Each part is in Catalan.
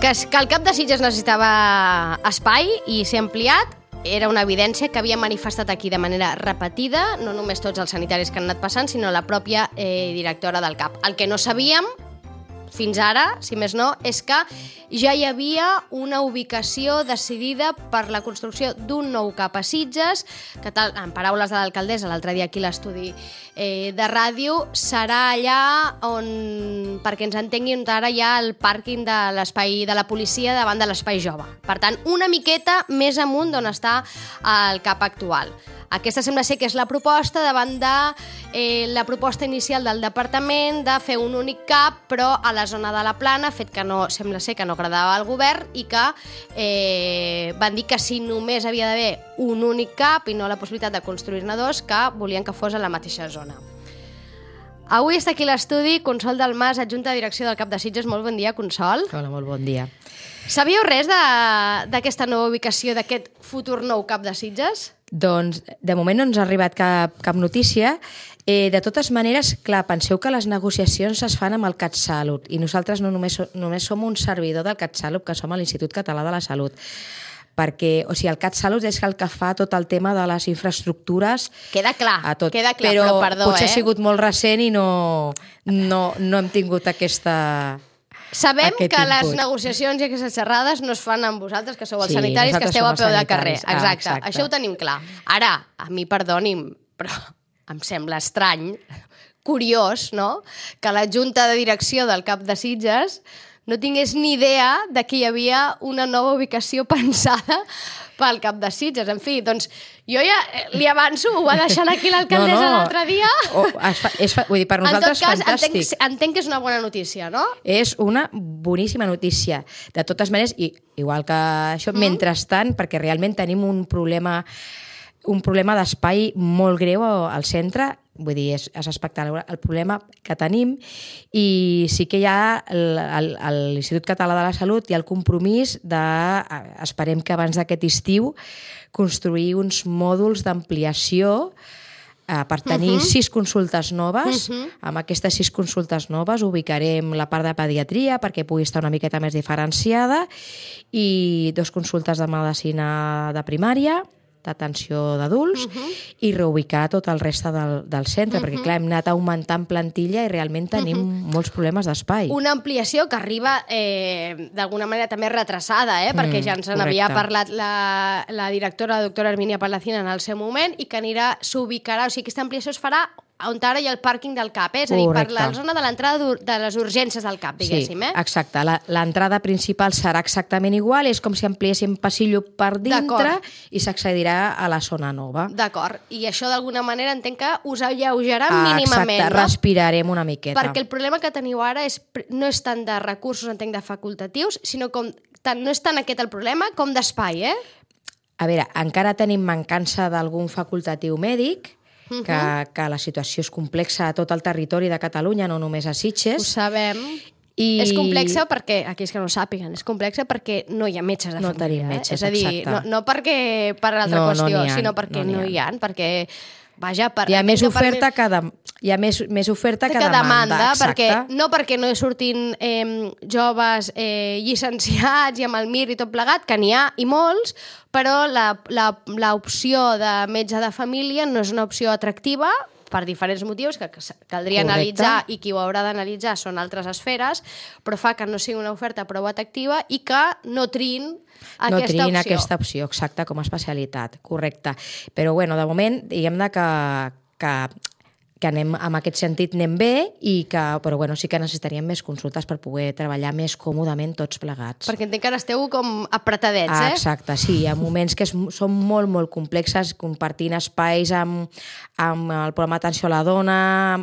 Que el CAP de Sitges necessitava espai i ser ampliat era una evidència que havia manifestat aquí de manera repetida, no només tots els sanitaris que han anat passant, sinó la pròpia directora del CAP. El que no sabíem fins ara, si més no, és que ja hi havia una ubicació decidida per la construcció d'un nou CAP a Sitges, que tal, en paraules de l'alcaldessa, l'altre dia aquí a l'estudi de ràdio, serà allà on, perquè ens entenguin, ara hi ha el pàrquing de l'espai de la policia davant de l'espai jove. Per tant, una miqueta més amunt d'on està el CAP actual. Aquesta sembla ser que és la proposta davant de la proposta inicial del departament de fer un únic CAP, però a la zona de la Plana, fet que no, sembla ser que no agradava al govern i que van dir que si només havia d'haver un únic CAP i no la possibilitat de construir-ne dos, que volien que fos a la mateixa zona. Avui està aquí a l'estudi Consol Dalmàs, adjunta de direcció del CAP de Sitges. Molt bon dia, Consol. Hola, molt bon dia. Sabíeu res d'aquesta nova ubicació, d'aquest futur nou CAP de Sitges? Doncs, de moment no ens ha arribat cap notícia. De totes maneres, clar, penseu que les negociacions es fan amb el CatSalut i nosaltres no només som un servidor del CatSalut, que som a l'Institut Català de la Salut. Perquè, o sigui, el CatSalut és el que fa tot el tema de les infraestructures. Queda clar, però perdó, potser ha sigut molt recent i no hem tingut aquesta... Sabem que les negociacions i aquestes xerrades no es fan amb vosaltres, que sou els sanitaris, que esteu a peu de carrer. Exacte, això ho tenim clar. Ara, a mi perdoni'm, però em sembla estrany, curiós, no?, que la junta de direcció del CAP de Sitges no tingués ni idea de que hi havia una nova ubicació pensada pel CAP de Sitges. En fi, doncs jo ja li avanço, ho va deixant aquí l'alcaldessa l'altre dia. Vull dir, per nosaltres és fantàstic. Entenc que és una bona notícia, no? És una boníssima notícia. De totes maneres, igual que això, mentrestant, perquè realment tenim un problema d'espai molt greu al centre, vull dir, és espectacular el problema que tenim, i sí que hi ha l'Institut Català de la Salut i el compromís esperem que abans d'aquest estiu construir uns mòduls d'ampliació per tenir 6 consultes noves. Amb aquestes 6 consultes noves ubicarem la part de pediatria perquè pugui estar una miqueta més diferenciada i 2 consultes de medicina de primària, d'atenció d'adults, i reubicar tot el reste del centre, perquè clar, hem anat augmentant plantilla i realment tenim molts problemes d'espai. Una ampliació que arriba d'alguna manera també retrasada, perquè ja ens n'havia parlat la directora, la doctora Hermínia Palacín, en el seu moment, i que s'ubicarà, o sigui, aquesta ampliació es farà on ara hi ha el pàrquing del CAP, és a dir, per la zona de l'entrada de les urgències del CAP, diguéssim. Sí, exacte. L'entrada principal serà exactament igual, és com si ampliéssim passillo per dintre i s'accedirà a la zona nova. D'acord. I això d'alguna manera entenc que us alleujarà mínimament, no? Exacte, respirarem una miqueta. Perquè el problema que teniu ara no és tant de recursos, entenc, de facultatius, sinó no és tant aquest el problema com d'espai, A veure, encara tenim mancança d'algun facultatiu mèdic, que la situació és complexa a tot el territori de Catalunya, no només a Sitges. Ho sabem. És complexa perquè, aquells que no ho sàpiguen, és complexa perquè no hi ha metges de família. No tenim metges, és a dir, no perquè per altra qüestió, sinó perquè no hi ha, perquè... Vaja, hi ha més oferta que demanda, no perquè no hi surtin joves llicenciats i amb el MIR i tot plegat, que n'hi ha i molts, però l'opció de metge de família no és una opció atractiva per diferents motius que caldria analitzar, i qui ho haurà d'analitzar són altres esferes, però fa que no sigui una oferta prou atractiva i que no triïn aquesta opció, exacte, com a especialitat, correcte. Però, bueno, de moment, diguem-ne que anem, en aquest sentit anem bé, però bueno, sí que necessitaríem més consultes per poder treballar més còmodament tots plegats. Perquè entenc que ara esteu com apretadets, Exacte, sí, hi ha moments que són molt, molt complexes, compartint espais amb el programa Atenció a la Dona,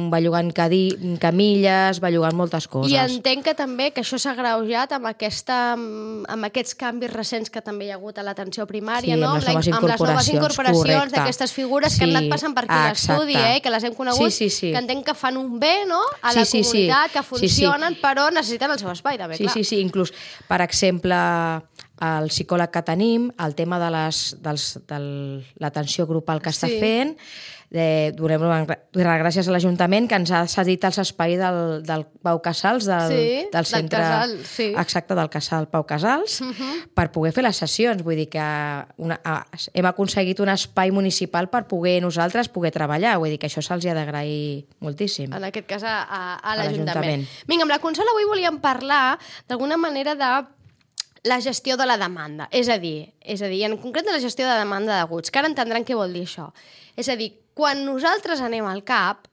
bellugant camilles, bellugant moltes coses. I entenc que també que això s'ha agreujat amb aquests canvis recents que també hi ha hagut a l'atenció primària, no? Amb les noves incorporacions d'aquestes figures que han anat passant per aquí l'estudi, que les hem conegut, que entenc que fan un bé, no?, a la comunitat, que funcionen, però necessiten el seu espai, també, clar. Sí, inclús, per exemple, el psicòleg que tenim, el tema de l'atenció grupal que està fent. Donem gràcies a l'Ajuntament que ens ha cedit els espais del Pau Casals, del centre exacte del Casal Pau Casals, per poder fer les sessions. Vull dir que hem aconseguit un espai municipal per poder nosaltres treballar. Vull dir que això se'ls ha d'agrair moltíssim. En aquest cas a l'Ajuntament. Vinga, amb la Consol avui volíem parlar d'alguna manera de la gestió de la demanda. És a dir, en concret de la gestió de demanda d'aguts, que ara entendran què vol dir això. És a dir, quan nosaltres anem al CAP,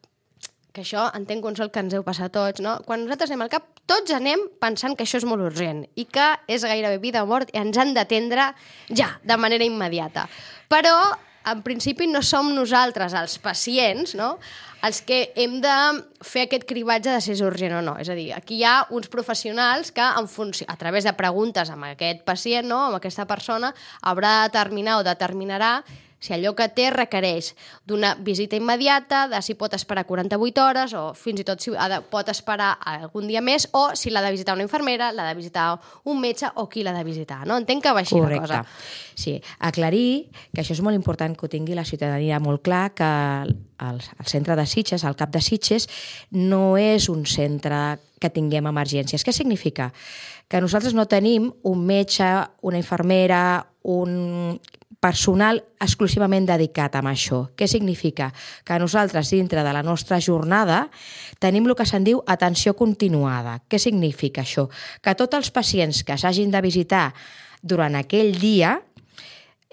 que això entenc, Consol, que ens heu passat tots, no? Quan nosaltres anem al CAP, tots anem pensant que això és molt urgent i que és gairebé vida o mort i ens han d'atendre ja, de manera immediata. Però, en principi, no som nosaltres, els pacients, no?, els que hem de fer aquest cribatge de si és urgent o no. És a dir, aquí hi ha uns professionals que, a través de preguntes amb aquest pacient, no?, amb aquesta persona, haurà de determinar o determinarà si allò que té requereix d'una visita immediata, de si pot esperar 48 hores o fins i tot si pot esperar algun dia més, o si l'ha de visitar una infermera, l'ha de visitar un metge o qui l'ha de visitar. No? Entenc que va així la cosa. Sí, aclarir que això és molt important que ho tingui la ciutadania molt clar, que el centre de Sitges, el CAP de Sitges, no és un centre que tinguem emergències. Què significa? Que nosaltres no tenim un metge, una infermera, un personal exclusivament dedicat a això. Què significa? Que nosaltres, dintre de la nostra jornada, tenim el que se'n diu atenció continuada. Què significa això? Que tots els pacients que s'hagin de visitar durant aquell dia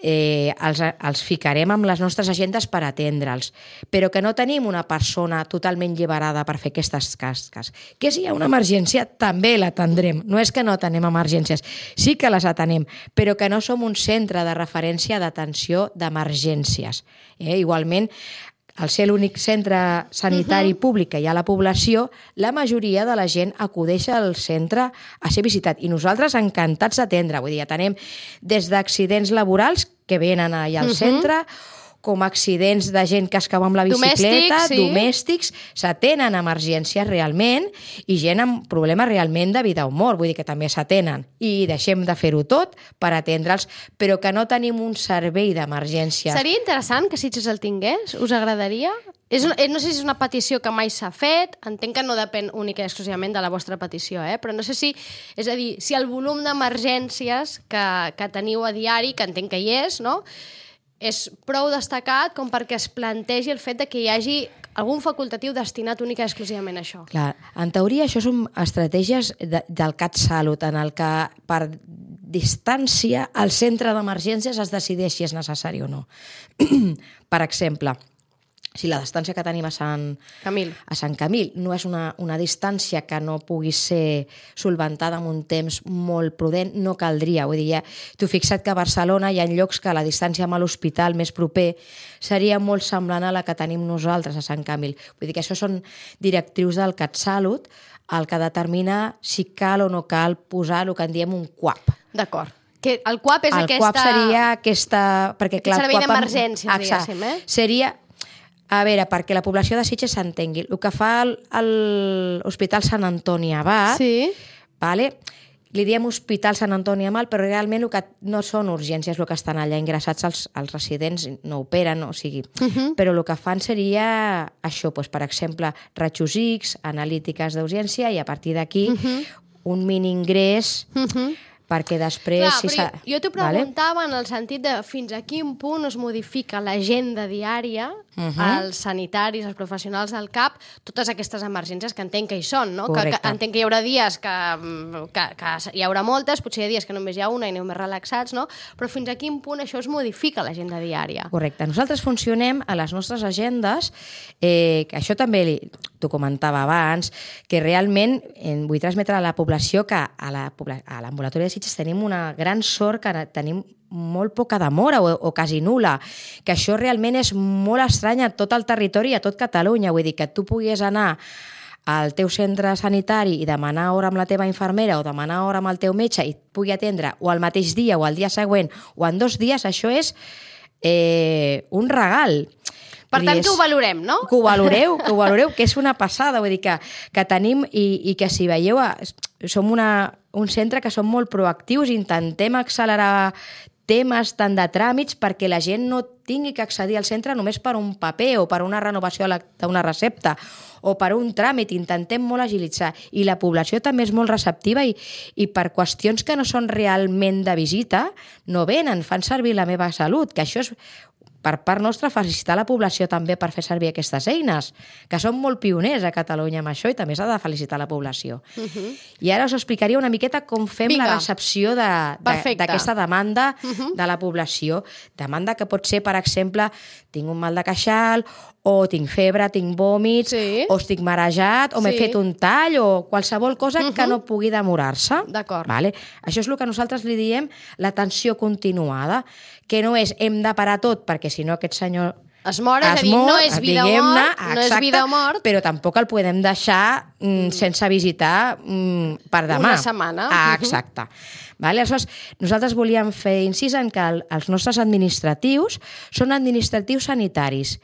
els ficarem amb les nostres agendes per atendre'ls, però que no tenim una persona totalment lliberada per fer aquestes tasques. Que si hi ha una emergència, també l'atendrem. No és que no tenem emergències, sí que les atenem, però que no som un centre de referència d'atenció d'emergències. Igualment, al ser l'únic centre sanitari públic que hi ha a la població, la majoria de la gent acudeix al centre a ser visitat. I nosaltres encantats d'atendre. Vull dir, atenem des d'accidents laborals que venen allà al centre, com accidents de gent que es cau amb la bicicleta, domèstics, s'atenen emergències realment i gent amb problemes realment de vida o mort, vull dir que també s'atenen. I deixem de fer-ho tot per atendre'ls, però que no tenim un servei d'emergències. Seria interessant que Sitges el tingués? Us agradaria? No sé si és una petició que mai s'ha fet, entenc que no depèn única i exclusivament de la vostra petició, però no sé si, és a dir, si el volum d'emergències que teniu a diari, que entenc que hi és, no?, és prou destacat com perquè es plantegi el fet de que hi hagi algun facultatiu destinat única i exclusivament a això. Clar, en teoria això són estratègies del CatSalut, en el que per distància el centre d'emergències es decideix si és necessari o no. Per exemple, si la distància que tenim a Sant Camil no és una distància que no pugui ser solventada en un temps molt prudent, no caldria. Vull dir, t'ho fixa't que a Barcelona hi ha llocs que la distància amb l'hospital més proper seria molt semblant a la que tenim nosaltres a Sant Camil. Vull dir que això són directrius del CatSalut, el que determina si cal o no cal posar el que en diem un CUAP. D'acord. Que el CUAP és aquesta... El CUAP seria aquesta... Servei d'emergència, diguéssim, Seria... A veure, perquè la població de Sitges s'entengui. El que fa l'Hospital Sant Antoni Abat, li diem Hospital Sant Antoni Abat, però realment el que no són urgències el que estan allà ingressats, els residents no operen, o sigui. Però el que fan seria això, per exemple, rajos X, analítiques d'urgència, i a partir d'aquí un mini ingrés... perquè després... Clar, jo t'ho preguntava en el sentit de fins a quin punt es modifica l'agenda diària als sanitaris, als professionals del CAP, totes aquestes emergències que entenc que hi són, no? Que entenc que hi haurà dies que hi haurà moltes, potser hi ha dies que només hi ha una i aneu més relaxats, no? Però fins a quin punt això es modifica l'agenda diària? Correcte. Nosaltres funcionem a les nostres agendes, que això també t'ho comentava abans, que realment vull transmetre a la població que a l'ambulatori de Sitges tenim una gran sort que tenim molt poca demora o quasi nul·la, que això realment és molt estrany a tot el territori i a tot Catalunya. Vull dir que tu puguis anar al teu centre sanitari i demanar hora amb la teva infermera o demanar hora amb el teu metge i et pugui atendre o al mateix dia o al dia següent o en 2 dies, això és un regal. Per tant, que ho valorem, no? Que ho valoreu, que és una passada. Vull dir que tenim, i que si veieu, som un centre que som molt proactius, intentem accelerar temes tant de tràmits perquè la gent no tingui que accedir al centre només per un paper o per una renovació d'una recepta o per un tràmit. Intentem molt agilitzar i la població també és molt receptiva i per qüestions que no són realment de visita no venen, fan servir la meva salut, que això és per part nostra felicitar la població també per fer servir aquestes eines, que són molt pioners a Catalunya amb això i també s'ha de felicitar la població. I ara us explicaria una miqueta com fem la recepció d'aquesta demanda de la població. Demanda que pot ser, per exemple, tinc un mal de queixal, o tinc febre, tinc vòmits, o estic marejat, o m'he fet un tall, o qualsevol cosa que no pugui demorar-se. D'acord. Això és el que nosaltres li diem l'atenció continuada, que no és hem de parar tot, perquè si no aquest senyor es mor, és a dir, no és vida o mort, no és vida o mort, però tampoc el podem deixar sense visitar per demà. Una setmana. Exacte. Aleshores, nosaltres volíem fer incís en que els nostres administratius són administratius sanitaris.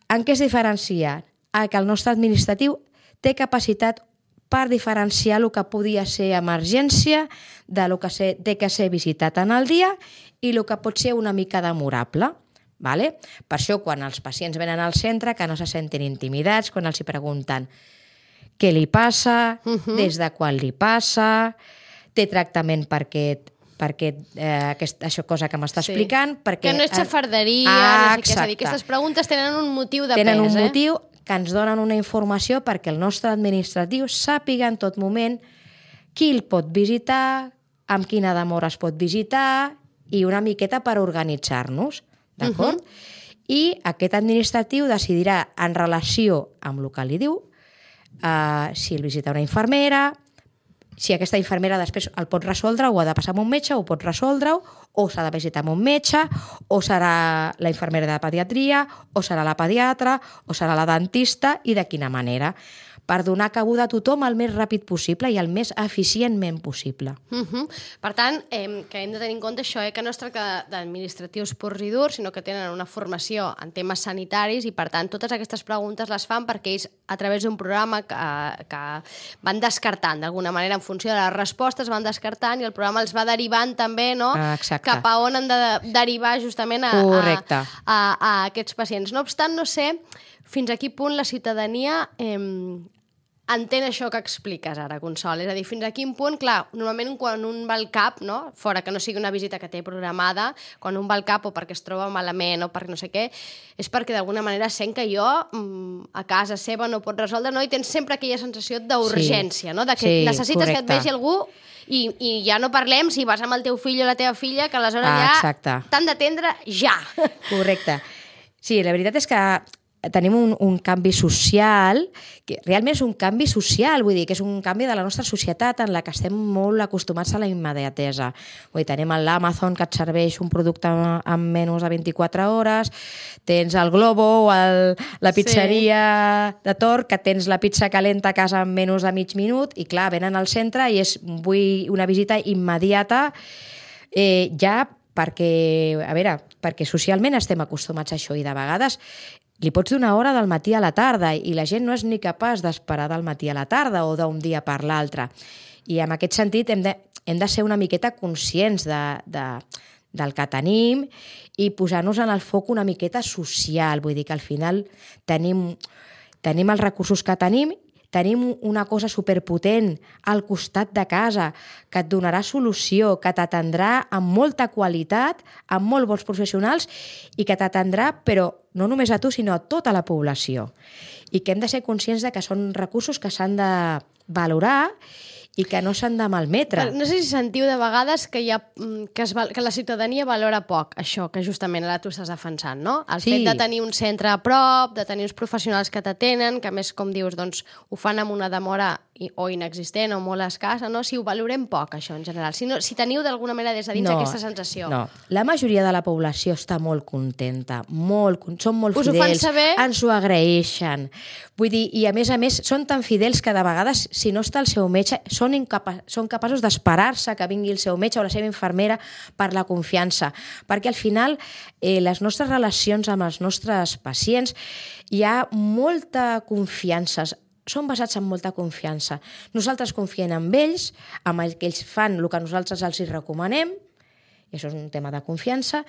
En què es diferencia? Que el nostre administratiu té capacitat per diferenciar el que podia ser emergència del que té que ser visitat en el dia i el que pot ser una mica demorable. Per això, quan els pacients venen al centre, que no se sentin intimidats, quan els pregunten què li passa, des de quan li passa, té tractament per aquesta cosa que m'està explicant. Que no és xafarderia, no sé què. És a dir, aquestes preguntes tenen un motiu de pes. Tenen un motiu que ens donen una informació perquè el nostre administratiu sàpiga en tot moment qui el pot visitar, amb quina demora es pot visitar i una miqueta per organitzar-nos. D'acord? I aquest administratiu decidirà en relació amb el que li diu si el visita una infermera, si aquesta infermera després el pot resoldre o ha de passar amb un metge o pot resoldre-ho, o s'ha de visitar amb un metge, o serà la infermera de pediatria, o serà la pediatra, o serà la dentista, i de quina manera, per donar cabuda a tothom el més ràpid possible i el més eficientment possible. Per tant, que hem de tenir en compte això, que no es tracta d'administratius purs i durs, sinó que tenen una formació en temes sanitaris i, per tant, totes aquestes preguntes les fan perquè ells, a través d'un programa que van descartant, d'alguna manera, en funció de les respostes, van descartant i el programa els va derivant també cap a on han de derivar justament a aquests pacients. No obstant, no sé fins a quin punt la ciutadania entén això que expliques ara, Consol. És a dir, fins a quin punt, clar, normalment quan un va al CAP, fora que no sigui una visita que té programada, quan un va al CAP o perquè es troba malament o perquè no sé què, és perquè d'alguna manera sent que jo a casa seva no pot resoldre, i tens sempre aquella sensació d'urgència, de que necessites que et vegi algú. I ja no parlem si vas amb el teu fill o la teva filla, que aleshores ja t'han d'atendre ja. Correcte. Sí, la veritat és que tenim un canvi social, que realment és un canvi social, vull dir, que és un canvi de la nostra societat en la que estem molt acostumats a la immediatesa. Vull dir, tenim l'Amazon que et serveix un producte en menys de 24 hores, tens el Globo o la pizzeria de Tor, que tens la pizza calenta a casa en menys de mig minut, i clar, venen al centre i vull una visita immediata ja perquè socialment estem acostumats a això i de vegades li pots donar hora del matí a la tarda i la gent no és ni capaç d'esperar del matí a la tarda o d'un dia per l'altre. I en aquest sentit hem de ser una miqueta conscients del que tenim i posar-nos en el foc una miqueta social. Vull dir que al final tenim els recursos que tenim una cosa superpotent al costat de casa que et donarà solució, que t'atendrà amb molta qualitat, amb molt bons professionals i que t'atendrà, però no només a tu, sinó a tota la població. I que hem de ser conscients de que són recursos que s'han de valorar i que no s'han de malmetre. No sé si sentiu de vegades que la ciutadania valora poc això que justament ara tu estàs defensant, no? El fet de tenir un centre a prop, de tenir uns professionals que t'atenen, que a més, com dius, doncs, ho fan amb una demora o inexistent o molt escassa, no? Si ho valorem poc, això, en general. Si teniu d'alguna manera des de dins aquesta sensació. No, la majoria de la població està molt contenta, són molt fidels, us ho fan saber? Ens ho agraeixen. Vull dir, i a més, són tan fidels que de vegades, si no està el seu metge, són són capaços d'esperar-se que vingui el seu metge o la seva infermera per la confiança. Perquè al final les nostres relacions amb els nostres pacients hi ha molta confiança, són basats en molta confiança. Nosaltres confiem en ells, amb el que ells fan el que nosaltres els recomanem, i això és un tema de confiança,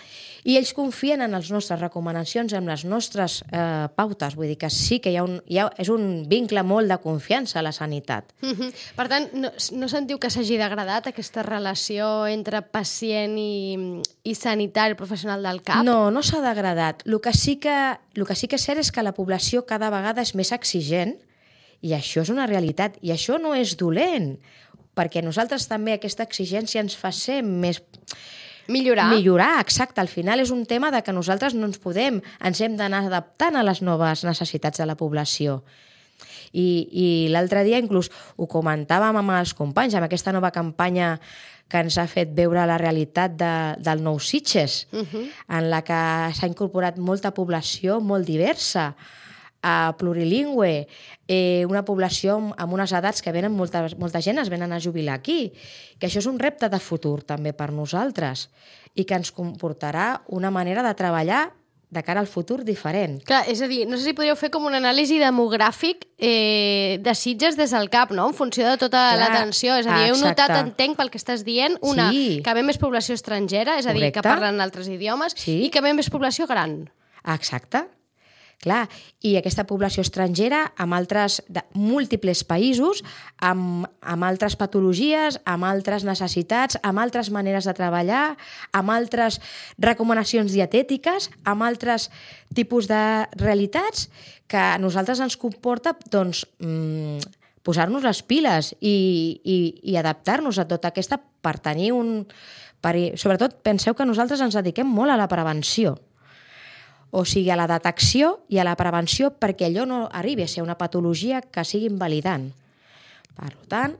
i ells confien en les nostres recomanacions, en les nostres pautes. Vull dir que sí que és un vincle molt de confiança a la sanitat. Per tant, no sentiu que s'hagi degradat aquesta relació entre pacient i sanitari professional del CAP? No, no s'ha degradat. El que sí que és cert és que la població cada vegada és més exigent, i això és una realitat, i això no és dolent, perquè nosaltres també aquesta exigència ens fa ser més... Millorar, exacte. Al final és un tema de que nosaltres no ens hem d'anar adaptant a les noves necessitats de la població. I l'altre dia inclús ho comentàvem amb els companys, amb aquesta nova campanya que ens ha fet veure la realitat del Nou Sitges, en la que s'ha incorporat molta població molt diversa, plurilingüe, una població amb unes edats que venen, molta gent es venen a jubilar aquí, que això és un repte de futur també per nosaltres i que ens comportarà una manera de treballar de cara al futur diferent. Clar, és a dir, no sé si podríeu fer com una anàlisi demogràfic de Sitges des del CAP, no? En funció de tota l'atenció. És a dir, heu notat, entenc, pel que estàs dient, que ve més població estrangera, és a dir, que parlen altres idiomes, i que ve més població gran. Exacte. Clar, i aquesta població estrangera amb altres múltiples països, amb altres patologies, amb altres necessitats, amb altres maneres de treballar, amb altres recomanacions dietètiques, amb altres tipus de realitats que a nosaltres ens comporta posar-nos les piles i adaptar-nos a tota aquesta per tenir Sobretot, penseu que nosaltres ens dediquem molt a la prevenció. O sigui, a la detecció i a la prevenció perquè allò no arribi a ser una patologia que sigui invalidant. Per tant,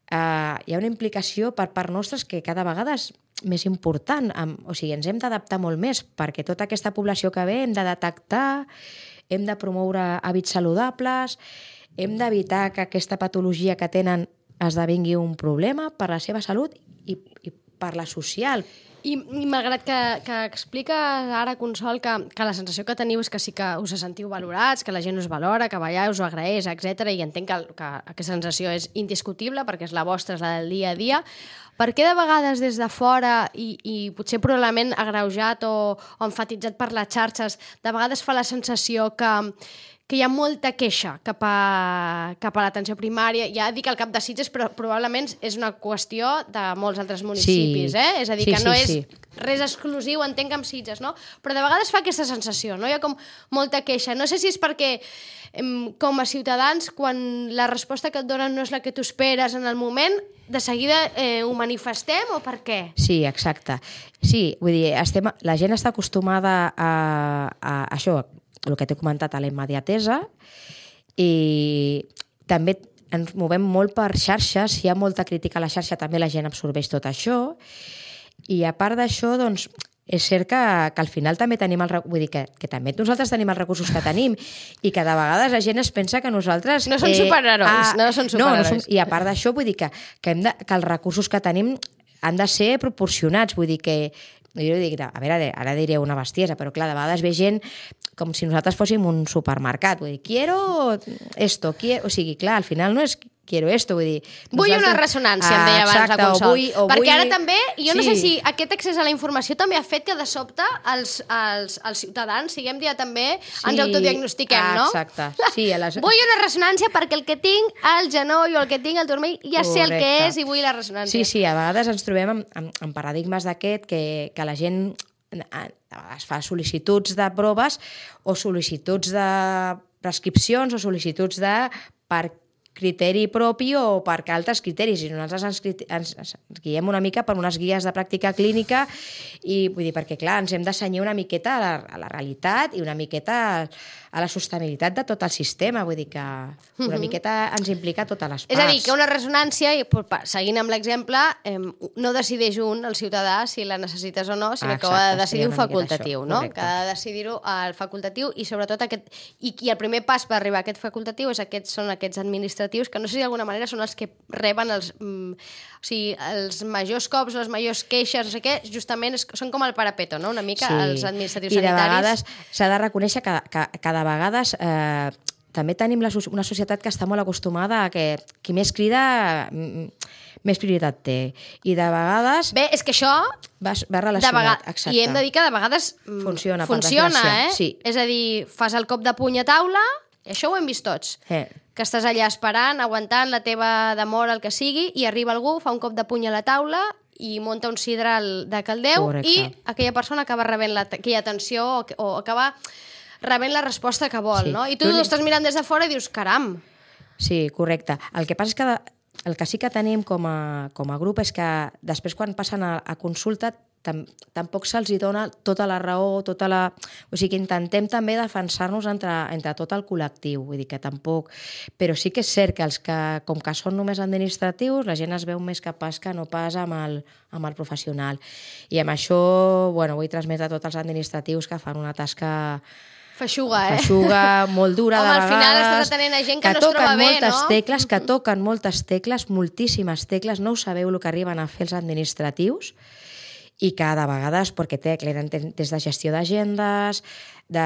hi ha una implicació per part nostra que cada vegada és més important. O sigui, ens hem d'adaptar molt més perquè tota aquesta població que ve hem de detectar, hem de promoure hàbits saludables, hem d'evitar que aquesta patologia que tenen esdevingui un problema per la seva salut i per la social. I malgrat que expliques ara, Consol, que la sensació que teniu és que sí que us sentiu valorats, que la gent us valora, que ballar us ho agraeix, etc. I entenc que aquesta sensació és indiscutible perquè és la vostra, és la del dia a dia. Per què de vegades des de fora, i potser probablement agreujat o enfatitzat per les xarxes, de vegades fa la sensació que hi ha molta queixa cap a l'atenció primària? Ja dic el CAP de Sitges, però probablement és una qüestió de molts altres municipis, És a dir, que no és res exclusiu, entenc, amb Sitges, no? Però de vegades fa aquesta sensació, no? Hi ha com molta queixa. No sé si és perquè, com a ciutadans, quan la resposta que et donen no és la que tu esperes en el moment, de seguida ho manifestem o per què? Sí, exacte. Sí, vull dir, la gent està acostumada a això, el que t'he comentat, a la immediatesa, i també ens movem molt per xarxes, hi ha molta crítica a la xarxa, també la gent absorbeix tot això, i a part d'això, doncs, és cert que al final també tenim vull dir que també nosaltres tenim els recursos que tenim i que de vegades la gent es pensa que nosaltres... No són superherois, no són superherois. I a part d'això, vull dir que els recursos que tenim han de ser proporcionats, vull dir que jo dic, a veure, ara diré una bestiesa, però clar, de vegades ve gent com si nosaltres fóssim un supermercat, vull dir, quiero esto, o sigui, clar, al final no és quiero esto, vull dir... Vull una ressonància, em deia abans la Consol. Perquè ara també, jo no sé si aquest accés a la informació també ha fet que de sobte els ciutadans, diguem-ne, també ens autodiagnostiquem, no? Exacte. Vull una ressonància perquè el que tinc al genoll o el que tinc al turmell ja sé el que és i vull la ressonància. Sí, a vegades ens trobem en paradigmes d'aquest que la gent es fa sol·licituds de proves o sol·licituds de prescripcions o sol·licituds per criteri propi o per altres criteris, i nosaltres ens guiem una mica per unes guies de pràctica clínica i vull dir, perquè clar, ens hem de cenyir una miqueta a la realitat i una miqueta a la sostenibilitat de tot el sistema, vull dir que una miqueta ens implica totes les parts. És a dir, que una ressonància, seguint amb l'exemple, no decideix el ciutadà si la necessites o no, sinó que ho ha de decidir un facultatiu, no? Que ha de decidir-ho el facultatiu i sobretot i el primer pas per arribar a aquest facultatiu són aquests administratius administratius, que no sé si d'alguna manera són els que reben els majors cops, les majors queixes, no sé què, justament són com el parapeto, no? Una mica els administratius sanitaris. I de vegades s'ha de reconèixer que de vegades també tenim una societat que està molt acostumada a que qui més crida més prioritat té. I de vegades... Bé, és que això... Va relacionat, exacte. I hem de dir que de vegades funciona, Sí. És a dir, fas el cop de puny a taula, i això ho hem vist tots. Que estàs allà esperant, aguantant la teva demora, el que sigui, i arriba algú, fa un cop de puny a la taula i munta un sidral de caldeu. Correcte. I aquella persona acaba rebent aquella atenció o acaba rebent la resposta que vol, no? I tu estàs mirant des de fora i dius, caram. Sí, correcte. El que passa és que el que sí que tenim com a grup és que després quan passen a consulta tampoc se'ls dona tota la raó, o sigui que intentem també defensar-nos entre tot el col·lectiu, vull dir que tampoc... Però sí que és cert que els que, com que són només administratius, la gent es veu més capaç que no pas amb el professional. I amb això, vull transmetre a tots els administratius que fan una tasca... Feixuga, molt dura, de vegades. Al final estàs atenent a gent que no es troba bé, no? Que toquen moltes tecles, moltíssimes tecles, no ho sabeu el que arriben a fer els administratius, i que de vegades, perquè des de gestió d'agendes, de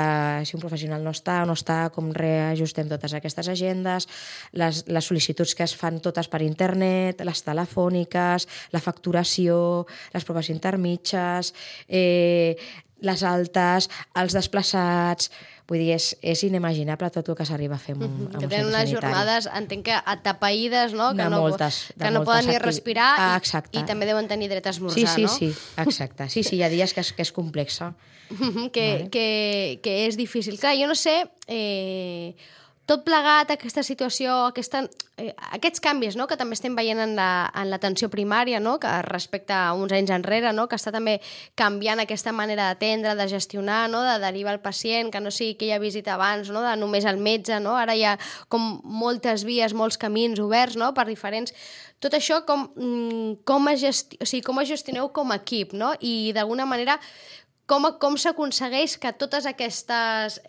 si un professional no està, com reajustem totes aquestes agendes, les sol·licituds que es fan totes per internet, les telefòniques, la facturació, les proves intermitges, les altes, els desplaçats... Vull dir, és inimaginable tot el que s'arriba a fer amb un centre sanitari. Que tenen unes jornades, entenc que atapeïdes, no? Que no poden ni respirar i també deuen tenir dret a esmorzar, no? Sí, exacte. Sí, hi ha dies que és complexa. Que és difícil. Clar, jo no sé... Tot plegat, aquesta situació, aquests canvis, no?, que també estem veient en l'atenció primària, no?, que respecte a uns anys enrere, no?, que està també canviant aquesta manera d'atendre, de gestionar, no?, de derivar el pacient, que no sigui aquella visita abans, no?, de només el metge, no?, ara hi ha com moltes vies, molts camins oberts, no?, per diferents... Tot això com ho gestioneu com a equip, no?, i d'alguna manera... Com s'aconsegueix que totes aquestes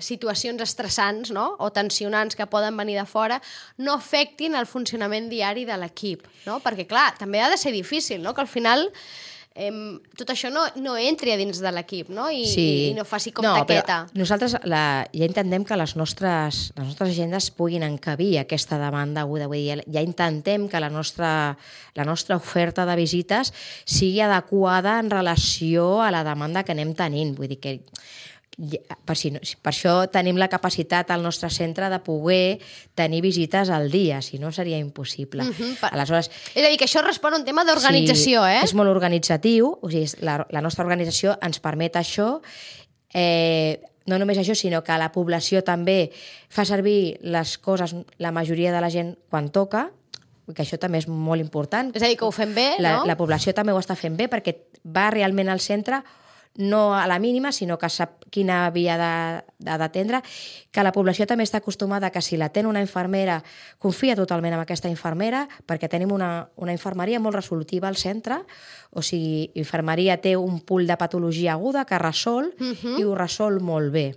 situacions estressants, no?, o tensionants que poden venir de fora no afectin el funcionament diari de l'equip, no? Perquè, clar, també ha de ser difícil, no?, que al final tot això no entri a dins de l'equip, no? I no faci com taqueta. Nosaltres ja intentem que les nostres agendes puguin encabir aquesta demanda aguda. Vull dir, ja intentem que la nostra oferta de visites sigui adequada en relació a la demanda que anem tenint. Vull dir que per això tenim la capacitat al nostre centre de poder tenir visites al dia, si no seria impossible. Aleshores, és a dir, que això respon a un tema d'organització, Sí, és molt organitzatiu, o sigui, la nostra organització ens permet això, no només això, sinó que la població també fa servir les coses, la majoria de la gent, quan toca, que això també és molt important. És a dir, que ho fem bé, no? La població també ho està fent bé perquè va realment al centre no a la mínima, sinó que sap quina via d'atendre, que la població també està acostumada que si l'atén una infermera, confia totalment en aquesta infermera, perquè tenim una infermeria molt resolutiva al centre, o sigui, infermeria té un pool de patologia aguda que resol i ho resol molt bé,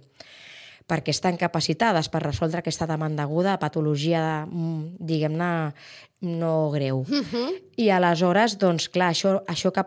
perquè estan capacitades per resoldre aquesta demanda aguda, patologia, diguem-ne, no greu. I aleshores, doncs, clar, això que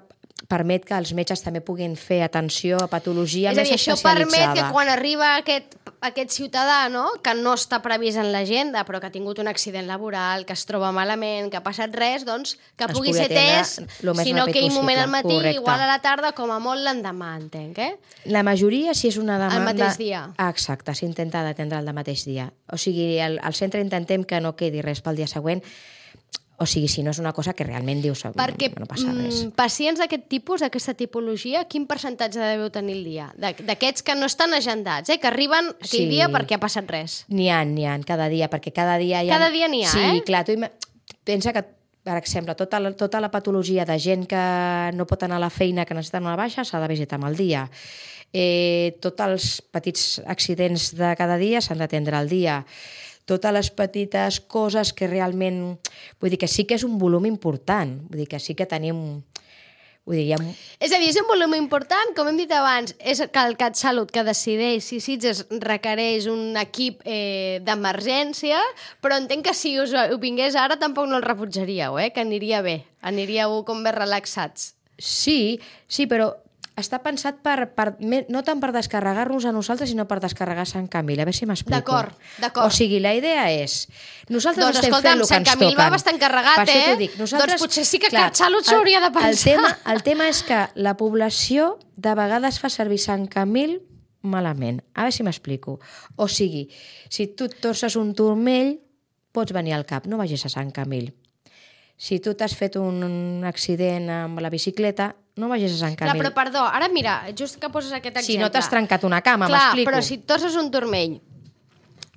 permet que els metges també puguin fer atenció a patologia més especialitzada. És a dir, això permet que quan arriba aquest ciutadà, no?, que no està previst en l'agenda, però que ha tingut un accident laboral, que es troba malament, que ha passat res, doncs que pugui ser atès, si no aquell moment al matí, igual a la tarda, com a molt l'endemà, entenc, La majoria, si és una demanda... El mateix dia. Exacte, s'intenta d'atendre el mateix dia. O sigui, al centre intentem que no quedi res pel dia següent. O sigui, si no és una cosa que realment dius no passa res. Perquè pacients d'aquest tipus, d'aquesta tipologia, quin percentatge deveu tenir el dia? D'aquests que no estan agendats, que arriben aquell dia perquè ha passat res. N'hi ha, cada dia, perquè cada dia hi ha... Cada dia n'hi ha, Sí, clar, tu pensa que, per exemple, tota la patologia de gent que no pot anar a la feina, que necessita una baixa, s'ha de visitar amb el dia. Tots els petits accidents de cada dia s'han d'atendre al dia. Totes les petites coses que realment... Vull dir que sí que és un volum important, vull dir que sí que tenim Vull dir, És a dir, és un volum important, com hem dit abans, és que el CatSalut que decideix si Sitges requereix un equip d'emergència, però entenc que si us ho vingués ara tampoc no el rebutjaríeu, que aniria bé, aniríeu com més relaxats. Sí, però està pensat no tant per descarregar-nos a nosaltres, sinó per descarregar Sant Camil. A veure si m'explico. D'acord. O sigui, la idea és... Nosaltres doncs, estem fent el que ens toquen. Sant Camil va bastant carregat, Per això t'ho dic. Doncs potser sí que CatSalut s'hauria de pensar. El tema és que la població de vegades fa servir Sant Camil malament. A veure si m'explico. O sigui, si tu et torces un turmell, pots venir al CAP, no vagis a Sant Camil. Si tu t'has fet un accident amb la bicicleta, no vagis a Sant Camil. Clar, però perdó, ara mira, just que poses aquest exemple. Si no t'has trencat una cama, m'explico. Clar, però si et torces un turmell,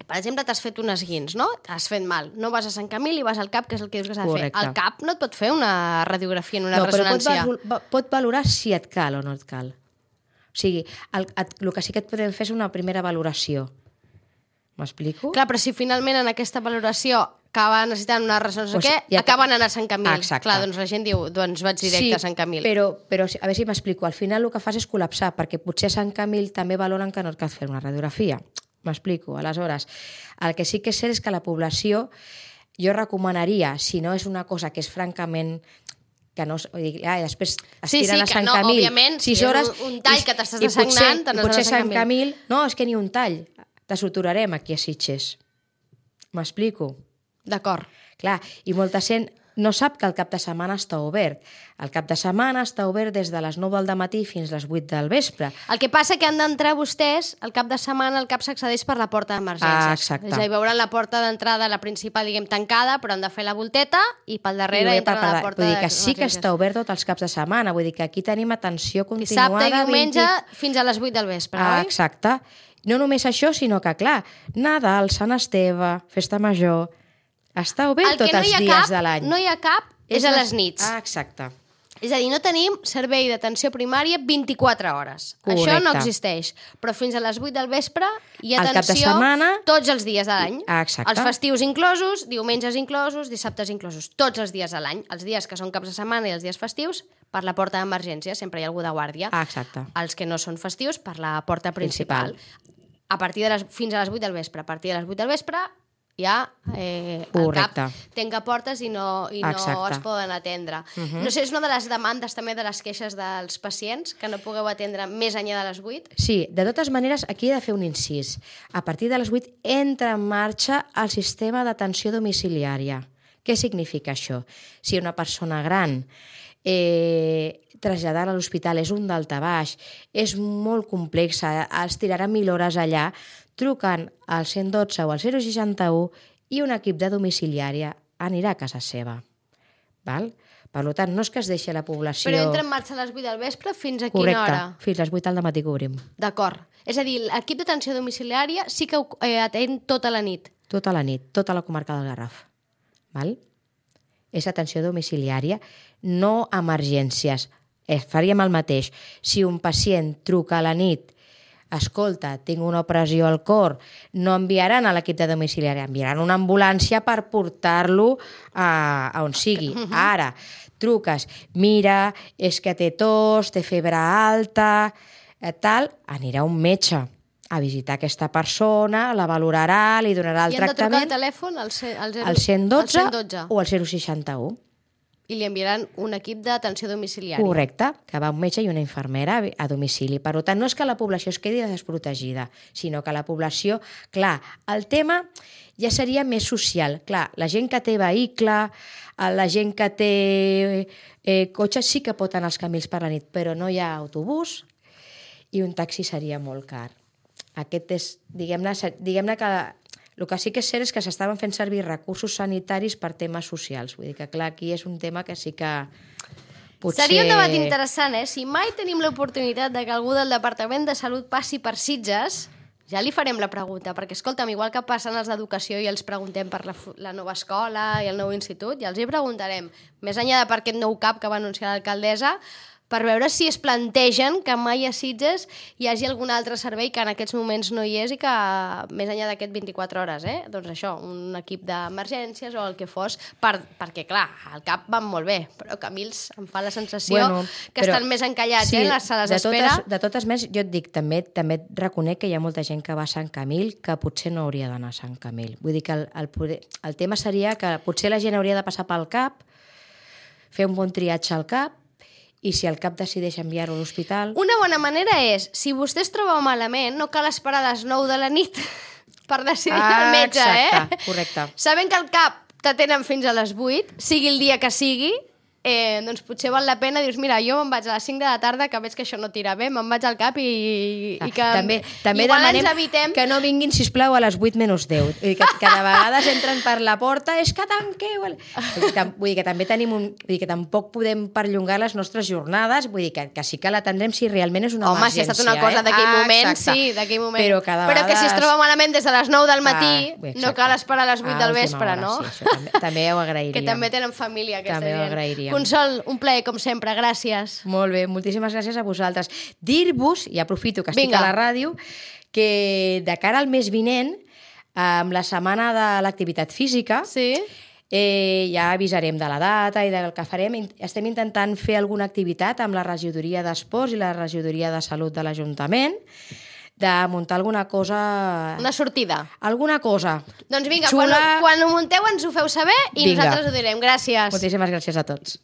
per exemple, t'has fet un esguins, no? T'has fet mal. No vas a Sant Camil i vas al CAP, que és el que dius que s'ha de fer. El CAP no et pot fer una radiografia en una ressonància. Però pot valorar si et cal o no et cal. O sigui, el que sí que et podem fer és una primera valoració. M'explico? Clar, però si finalment en aquesta valoració acaba necessitant una ressonància, acaben anant a Sant Camil. Exacte. Clar, doncs la gent diu, doncs vaig directe a Sant Camil. Però a veure si m'explico. Al final el que fas és col·lapsar, perquè potser a Sant Camil també valoren que no et cal fer una radiografia. M'explico. Aleshores, el que sí que és cert és que la població, jo recomanaria, si no és una cosa que és francament... que no, després estiren a Sant Camil 6 hores... un tall que t'estàs dessagnant, i potser Sant Camil... No, és que ni un tall. Te suturarem aquí a Sitges. M'explico? D'acord. Clar, i molta gent no sap que el cap de setmana està obert. El cap de setmana està obert des de les 9 del matí fins a les 8 del vespre. El que passa que han d'entrar vostès, el cap de setmana el CAP s'accedeix per la porta d'emergències. Exacte. És a dir, veuran la porta d'entrada, la principal, diguem, tancada, però han de fer la volteta i pel darrere entren a la porta d'emergències. Vull dir que sí que està obert tots els caps de setmana. Vull dir que aquí tenim atenció continuada. Dissabte i diumenge fins a les 8 del vespre, oi? Exacte. No només això, sinó que, clar, Nadal, Sant Esteve, Festa Major... Està obert tots els dies de l'any. El que no hi ha cap és a les nits. Exacte. És a dir, no tenim servei d'atenció primària 24 hores. Correcte. Això no existeix. Però fins a les 8 del vespre hi ha atenció cap de setmana, tots els dies de l'any. Exacte. Els festius inclosos, diumenges inclosos, dissabtes inclosos. Tots els dies de l'any. Els dies que són caps de setmana i els dies festius, per la porta d'emergència. Sempre hi ha algú de guàrdia. Exacte. Els que no són festius, per la porta principal. A partir de fins a les 8 del vespre. A partir de les 8 del vespre... ja el CAP tanca portes i no es poden atendre. No sé, és una de les demandes també de les queixes dels pacients, que no pugueu atendre més enllà de les 8? Sí, de totes maneres, aquí he de fer un incís. A partir de les 8 entra en marxa el sistema d'atenció domiciliària. Què significa això? Si una persona gran traslladar a l'hospital és un daltabaix, és molt complexa, es tirarà 1.000 hores allà, truquen al 112 o al 061 i un equip de domiciliària anirà a casa seva. Val? Per tant, no és que es deixi la població... Però entra en marxa a les 8 del vespre fins a quina hora? Correcte, fins a les 8 del matí que obrim. D'acord. És a dir, l'equip d'atenció domiciliària sí que atén tota la nit. Tota la nit, tota la comarca del Garraf. Val? És atenció domiciliària, no emergències. Faríem el mateix. Si un pacient truca a la nit, escolta, tinc una opressió al cor, no enviaran a l'equip de domiciliari, enviaran una ambulància per portar-lo a on sigui. Ara, truques, mira, és que té tos, té febre alta, tal, anirà un metge a visitar aquesta persona, la valorarà, li donarà el tractament... I han de trucar al telèfon al 112 o al 061. I li enviaran un equip d'atenció domiciliària. Correcte, que va un metge i una infermera a domicili. Per tant, no és que la població es quedi desprotegida, sinó que la població... Clar, el tema ja seria més social. Clar, la gent que té vehicle, la gent que té cotxe sí que pot anar als camins per la nit, però no hi ha autobús i un taxi seria molt car. Aquest és, diguem-ne que... El que sí que és cert és que s'estaven fent servir recursos sanitaris per temes socials. Vull dir que, clar, aquí és un tema que sí que potser... Seria un debat interessant, Si mai tenim l'oportunitat de que algú del Departament de Salut passi per Sitges, ja li farem la pregunta, perquè, escolta'm, igual que passen els d'Educació i els preguntem per la nova escola i el nou institut, ja els hi preguntarem, més enllà de per aquest nou CAP que va anunciar l'alcaldessa, per veure si es plantegen que mai a Sitges hi hagi algun altre servei que en aquests moments no hi és i que més enllà d'aquest 24 hores, doncs això, un equip d'emergències o el que fos, perquè clar, al CAP van molt bé, però Camils em fa la sensació que estan més encallats, en les sales d'espera. De totes més, jo et dic, també reconec que hi ha molta gent que va a Sant Camil que potser no hauria d'anar a Sant Camil. Vull dir que el tema seria que potser la gent hauria de passar pel CAP, fer un bon triatge al CAP, i si el CAP decideix enviar-ho a l'hospital... Una bona manera és, si vostè es troba malament, no cal esperar a les 9 de la nit per decidir el metge, exacte, correcte. Sabent que el CAP t'atenen fins a les 8, sigui el dia que sigui, doncs potser val la pena, dius, mira, jo me'n vaig a les 5 de la tarda, que veig que això no tira bé, me'n vaig al CAP i que... També demanem que no vinguin, sisplau, a les 8 menys 10. Que de vegades entren per la porta, és que tanqueu... Vull dir que també tenim vull dir que tampoc podem perllongar les nostres jornades, vull dir que sí que l'atendrem si realment és una emergència. Home, si ha estat una cosa d'aquell moment, sí, d'aquell moment. Però que si es troba malament des de les 9 del matí, no cal esperar a les 8 del vespre, no? Sí, també ho agrairíem. Que també tenen família, aquesta gent. També ho agrairíem. Consol, un plaer, com sempre, gràcies. Molt bé, moltíssimes gràcies a vosaltres. Dir-vos, i aprofito que estic a la ràdio, que de cara al mes vinent, amb la setmana de l'activitat física, ja avisarem de la data i del que farem. Estem intentant fer alguna activitat amb la regidoria d'Esports i la regidoria de Salut de l'Ajuntament, de muntar alguna cosa... Una sortida. Alguna cosa. Doncs vinga, quan ho munteu ens ho feu saber i nosaltres ho direm. Gràcies. Moltíssimes gràcies a tots.